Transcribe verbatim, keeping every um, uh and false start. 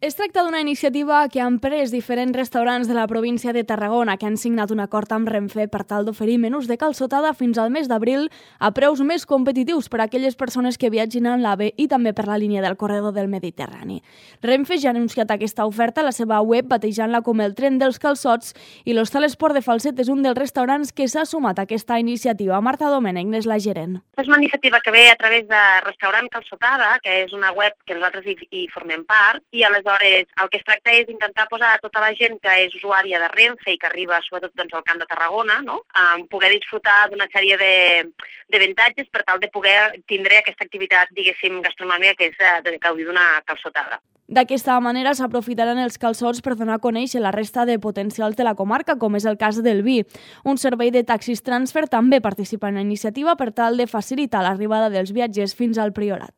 Es tracta d'una iniciativa que han pres diferents restaurants de la província de Tarragona que han signat un acord amb Renfe per tal d'oferir menús de calçotada fins al mes d'abril a preus més competitius per a aquelles persones que viatgin en l'AVE i també per la línia del corredor del Mediterrani. Renfe ja ha anunciat aquesta oferta a la seva web batejant-la com el tren dels calçots i l'Hostal Esport de Falset és un dels restaurants que s'ha sumat a aquesta iniciativa. Marta Domènech n'és la gerent. És una iniciativa que ve a través de Restaurant Calçotada, que és una web que nosaltres hi, hi formem part, i aleshores el que es tracta és intentar posar a tota la gent que és usuària de Renfe i que arriba sobretot doncs, al Camp de Tarragona, no? Um, poder disfrutar d'una sèrie de, de avantatges per tal de poder tindre aquesta activitat, diguéssim, gastronòmica, que és de gaudir d'una calçotada. D'aquesta manera s'aprofitaran els calçots per donar a conèixer la resta de potencials de la comarca, com és el cas del vi. Un servei de taxis transfer també participa en la iniciativa per tal de facilitar l'arribada dels viatgers fins al Priorat.